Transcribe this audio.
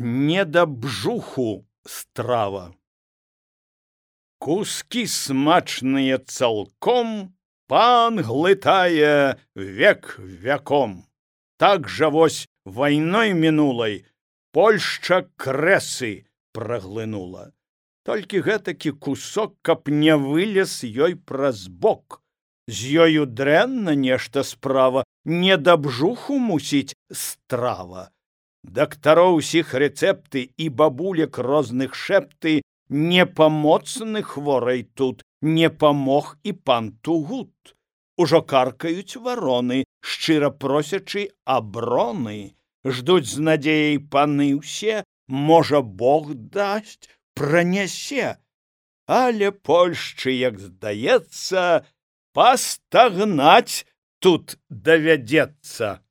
Не да бжуху страва. Куски смачныя цалком пан глытае век вяком. Так жа вось вайной мінулай Польшча крэсы праглынула. Толькі гэтакі кусок, каб не вылез ёй праз бок. З ёю дрэнна нешта справа, не да бжуху мусіць страва. Дактароў усіх рэцэпты і бабулек розных шэпты, не памоцны хворай тут, не памог і пан Тугут. Ужо каркаюць вароны, шчыра просячы аброны. Ждуць з надзеяй паны ўсе, можа, Бог дасць, пранясе. Але Польшчы, як здаецца, пастагнаць тут давядзецца.